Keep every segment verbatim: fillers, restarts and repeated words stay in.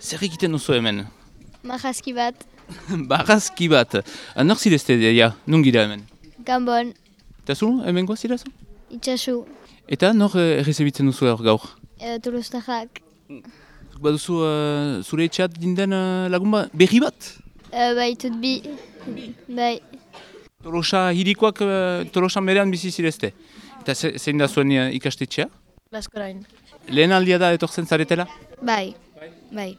Zer egiten duzu hemen? Marrazki bat. Barrazki bat. Nor zirezte, ja, nungira hemen? Gambon. Eta zu, hemen goa zirazu? Itxasu. Eta nor uh, errezebitzen duzu hor gaur? E, Tolostarrak. Baduzu uh, zure etxeat dinden uh, lagun ba, berri bat? E, bai, tut bi. Bai. Tolosa hirikoak uh, Tolosan berean bizi zirezte. Eta ze, zein da zuen uh, ikastetxea? Baskorain. Lehen aldia da etortzen zaretela? Bai. Bai.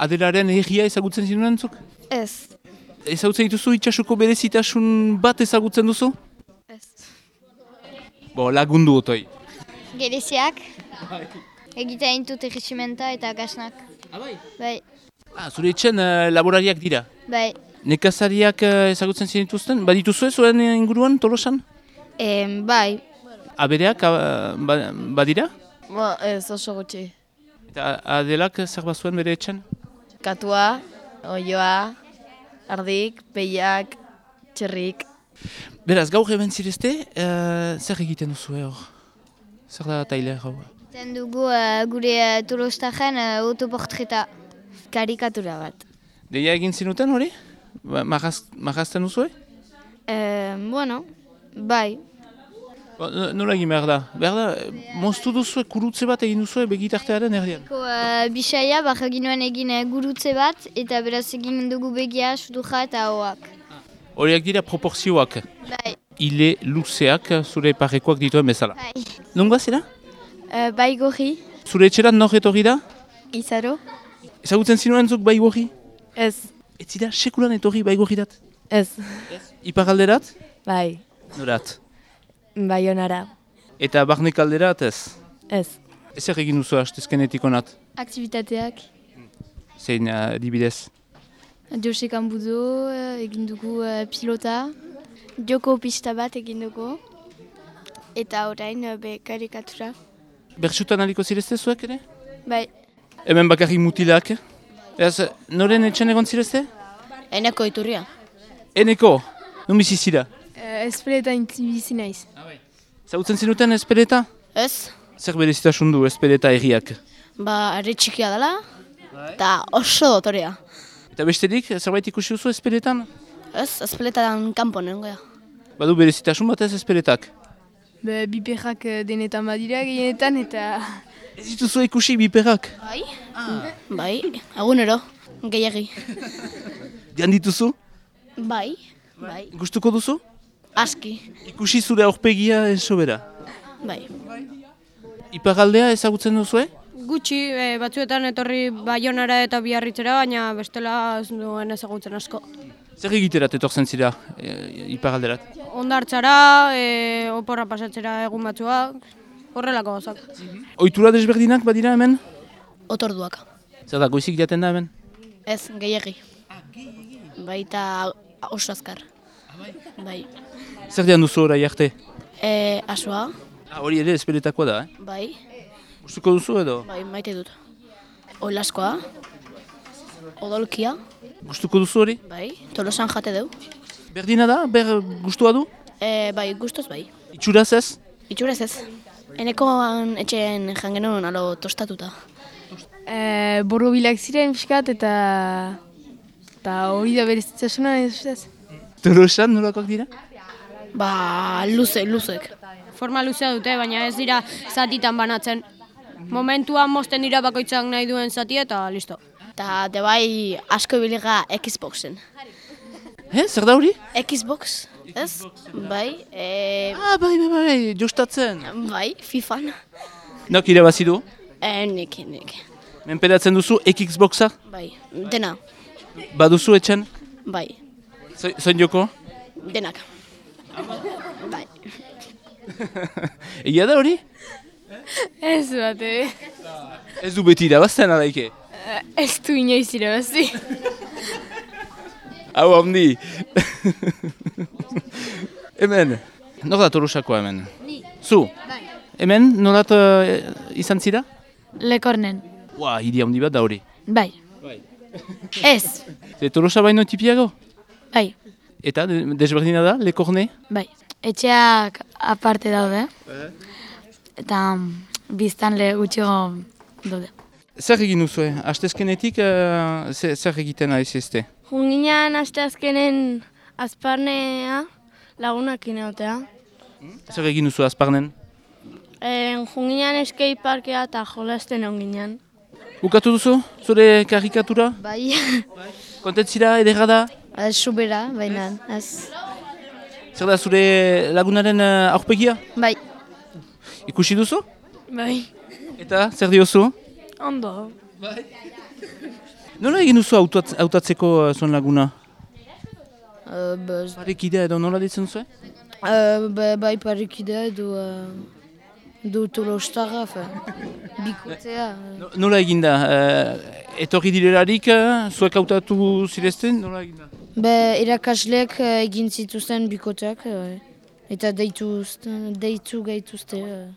Adelaren egia ezagutzen zinuen zuk? Ez. Ezagutzen dituzu itxasuko berezitasun bat ezagutzen duzu? Ez. Bo, lagundu otoi. Gereziak. Egita intut erresimenta eta gasnak. Abai? Bai. Ah, zure etxen uh, laborariak dira? Bai. Nekazariak uh, ezagutzen zinituzten? Badituzu ez zuen inguruan Tolosan? E, bai. Abereak uh, ba, badira? Ba, ez oso gutxi. Eta Adelak zer bazuen bere etxen? Katua, oioa, ardik, peiak, txerrik. Beraz, gaur hemen zirezte, uh, zer egiten duzu hor? Zer da taile hau? Ten dugu uh, gure uh, Tolostarren uh, autoportreta. Karikatura bat. Deia egin zinuten hori? Ba, Marraz, marrazten duzu? E, bueno, bai. Ba, nola egin behar da? Behar da, moztu duzu kurutze bat egin duzu begitartearen erdian? Uh, Bisaia, bak egin egin uh, gurutze bat, eta beraz egin dugu begia, suduja eta hoak. Horiak dira proporzioak. Bai. Ile luzeak zure parekoak dituen bezala. Bai. Nungoa zera? Uh, bai gorri. Zure etxeran nor etorri da? Izaro. Ezagutzen zinuen zuk bai gorri? Ez. Ez zira sekulan etorri bai gorrirat? Ez. Iparalderat? Bai. Norat? Baionara. Eta barnek alderat ez? Ez. Ezer egin duzu hastezkenetik onat? Aktivitateak. Zein uh, adibidez? Josek Ambudo, egin dugu uh, pilota. Joko pista bat egin dugu. Eta orain uh, be karikatura. Bertsutan aliko zirezte zuek ere? Bai. Hemen bakarrik mutilak. Ez, noren etxen egon zirezte? Eneko iturria. Eneko, nun bizi zira? Uh, Espeleta bizi naiz. Zautzen zinuten espeleta? Ez. Zer berezitasun du espeleta erriak? Ba, arre txikia dela. Eta oso dotorea. Eta besterik, zerbait ikusi duzu espeletan? Ez, espeletan kanpo nengoa. Badu berezitasun bat ez espeletak? Be, biperrak denetan badira gehienetan eta... Ez dituzu ikusi biperrak? Bai. Ah. Bai, egunero, gehiagi. Dian dituzu? Bai. Bai. Gustuko duzu? Aski. Ikusi zure aurpegia esobera? Bai. Iparaldea ezagutzen duzu, eh? Gutxi, e, batzuetan etorri Baionara eta Biarritzera, baina bestela ez duen ezagutzen asko. Zer egiterat etortzen zira e, iparalderat? Hondartzara, e, oporra pasatzera egun batzuak, horrelako gozak. Ohitura desberdinak badira hemen? Otorduak. Zer da, goizik jaten da hemen? Ez, gehiagi. Baita oso azkar. Bai. Zer dian duzu orai arte? E, asoa. Ah, hori ere espeletakoa da, eh? Bai. Gustuko duzu edo? Bai, maite dut. Olaskoa. Odolkia. Gustuko duzu hori? Bai. Tolosan jate deu. Berdina da? Ber gustua du? E, bai, gustoz bai. Itxuraz ez? Itxurez ez. Enekoan etxeen jangenuen alo tostatuta. E, Borrobilak ziren fiskat eta... Eta hori da berezitasuna ez ustez. Tolosan nolakoak dira? Ba, luze, luzek. Forma luzea dute, baina ez dira zatitan banatzen. Momentuan mozten dira bakoitzak nahi duen zati eta listo. Eta de bai asko biliga Xboxen. Eh, zer da hori? Xbox, ez? Bai, e, Ah, bai, bai, bai, jostatzen. bai, FIFAn. Nok irabazi du? E, nik, nik. Menperatzen duzu Xboxa? Bai, dena. Baduzu etxen? Bai, Zoin joko? denak. Bai. Egia da hori? Ez bat, eh? Ez du beti irabazten alaike. Ez du inoiz irabazi. Hau handi. Hemen, nor da Tolosakoa hemen? Ni. Zu? Bai. Hemen, nolat uh, izan zira? Lekornen. Ua, hiri handi bat da hori. Bai. Ez. Ze Tolosa baino tipiago? Bai. Eta de- desberdina da, Lekorne? Bai. Etxeak aparte daude. Eta biztan le gutxigo daude. zer egin duzue? Astezkenetik uh, zer, zer egiten ari zizte? Junginan asteazkenen azparnea lagunak ineotea. Zer egin duzu azparnen? E, junginan eskei parkea eta jolasten onginan. Bukatu duzu, zure karikatura? Bai, Kontentzira, edera da? ez subera, baina, ez. Zer da zure lagunaren uh, aurpegia? Bai, Ikusi duzu? Bai. Eta zer diozu? Ondo. Nola egin duzu hautat- hautatzeko uh, zuen laguna? uh, bez, Parekidea edo nola ditzen duzu? uh, ba, bai parikidea edo uh, du tolostarra, fe, bikotea. No- Nola egin da? Uh, etorri direlarik, uh, zuek hautatu zirezten? Nola egin da? Be, irakasleek uh, egin zituzten bikoteak, uh, eta deitu, deitu gaituzte. Uh.